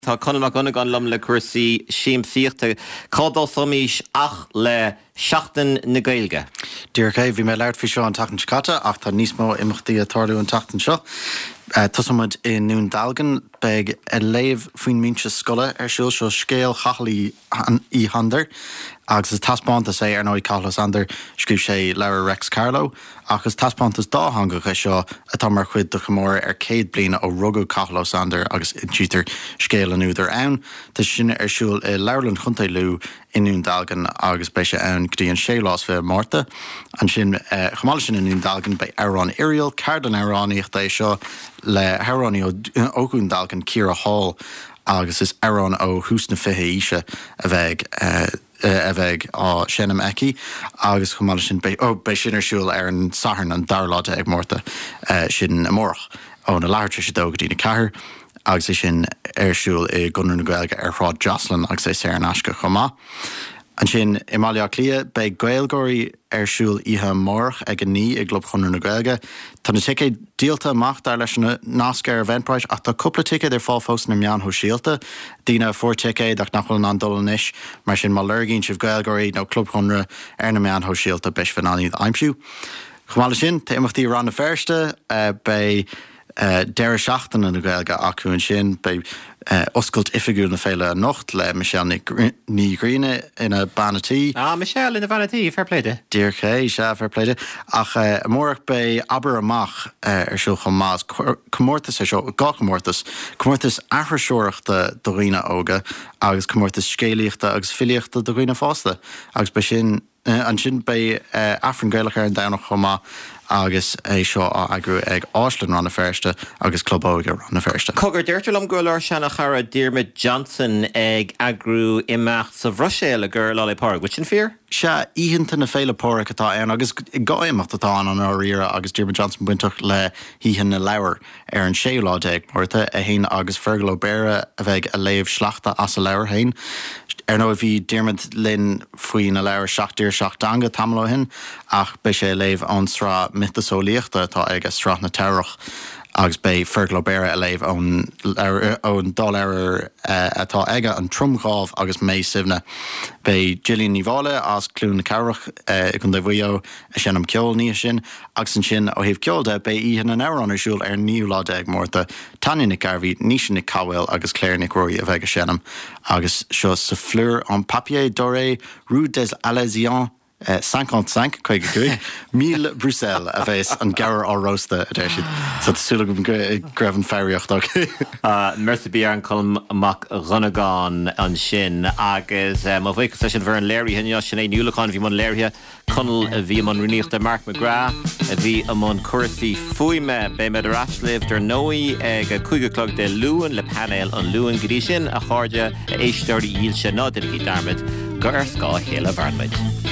Tá Conall Mac Dhonnagáin liom le cúrsaí siamsaíochta. Cá dtosóimís ach le Seachtain na Gaeilge? Díreach é. Bhí mé ag labhairt faoi seo an tseachtain seo caite ach tá níos mó imeachtaí ag tarlú an tseachtain seo. Tosóidh muid i nDún Dealgan. Beidh léamh faoin mbinse scoile ar siúl. Seo scéal Chathail Uí Shándair agus is taispeántas é, ar ndóigh, Cathal Ó Sándair, scríobh sé leabhar Reics Carló. Ach is taispeántas dátheangach é seo atá mar chuid de chomóradh ar 100 bliain ó rugadh Cathal Ó Sándair agus insítear scéal an údair ann. Tá sé sin ar siúl i Leabharlann Chontae Lú i nDún Dealgan agus beidh sé ann go dtí an séú lá is 20 Márta. Ansin, chomh maith leis sin i nDún Dealgan, beidh Amhrán Oiriall, ceardlann amhránaíochta é seo le hamhránaí ó Dhún Dealgan, Ciara Hall agus is amhráin ó thús na 20 aoise a bheidh a bheidh á seinm aici agus chomh maith leis sin beidh, oh, beidh sin ar siúl ar an Satharn an dara lá déag Márta, sin amárach, óna leathuair tar éis a dó go dtí'n 4 agus é sin ar siúl i gConradh na Gaeilge ar Shráid Jocelyn agus é saor in aisce chomh maith. Ansin i mBaile Átha Cliath beidh GaelGáirí ar siúl oíche amárach ag a 9 i gClub Chonradh na Gaeilge. Tá na ticéid díolta amach dar leis an nasc ar Eventbrite ach tá cúpla ticéad ar fáil fós sna meáin shóisialta. Daoine a fuair ticéad ach nach bhfuil in ann dul anois. Mar sin má lorgaíonn sibh GaelGáirí nó Club Chonradh ar na meáin shóisialta beidh sibh in ann iad a aimsiú. Chomh maith leis sin tá imeachtaí i Rann na Feirste. Beidh. Deireadh seachtaine na Gaeilge acu ansin. Beidh oscailt oifigiúil na féile anocht le Michelle Ní Ghrianna ina bean a' tí. Ah, Michelle ina bhean a' tí, fair play di. Díreach é, sea, fair play di. Ach amárach beidh Abair Amach ar siúl chomh maith. Is comórtas é seo, dhá chomórtas, comórtas aithriseoireachta do dhaoine óga agus comórtas scéalaíochta agus filíochta do dhaoine fásta. Agus beidh sin. Ansin beidh Aifreann Gaelach ar an Domhnach chomh maith agus é seo á eagrú ag Áislann Rann na Feirste agus Club Óige Rann na Feirste. Cogar, deirtear liom go bhfuil ár seana-chara Diarmuid Johnson ag eagrú imeacht sa Bhruiséil i gcomhair Lá 'le Pádraig. Bhfuil sin fíor? Sea, Oícheanta na Féile Pádraig atá ann agus dhá imeacht atá ann i ndáiríre agus Diarmuid Johnson bainteach le hOíche na Leabhar. Ar an séú lá déag Márta, é féin agus Fergal Ó Béarra a bheidh a léamh sleachta as a leabhar féin. Ar ndóigh bhí Diarmuid linn faoina leabhar Seacht dTír Seacht dTeanga tamall ó shin ach beidh sé a léamh ón sraith miotaseolaíochta atá aige, Sraith na Teamhrach agus beidh Fergal Ó Béarra a léamh ón ón dá leabhar atá aige, An Tromdhámh agus Mé Suibhne. Beidh Gillian Ní Mháille as Cluain na Cathrach i gContae Mhaigh Eo a seinm ceoil an oíche sin agus ansin ó thaobh ceoil de beidh Oíche na nAmhrán ar siúl ar an naoú lá déag Márta. Tanya Nic Gairbhí, Naoise Nic Cathmhaoil agus Claire Nic Ruairí a bheidh ag seinm agus seo sa Fleur en Papier Doré, Rue des Alésiens 55, 55, 1000 Bruxelles a bheas an gabhar á róstadh, a deir siad. So tá súil agam go raibh an foghraíocht ok. Merci bien Colm Mac Dhonnagáin ansin agus mo bhuíochas leis an bhfoireann léirithe inniu, Sinéad Ní Uallacháin a bhí i mbun léirithe, Conall a bhí i mbun rúnaíochta, Mark McGrath a bhí i mbun cúrsaí fuaime. Beimid ar ais libh, dar ndóigh, ag a 5 a chlog Dé Luain le painéal an Luain. Go dtí sin, a chairde, a éisteoirí dhílse, ná déanaigí dearmad gur ar scáth a chéile a mhaireann muid.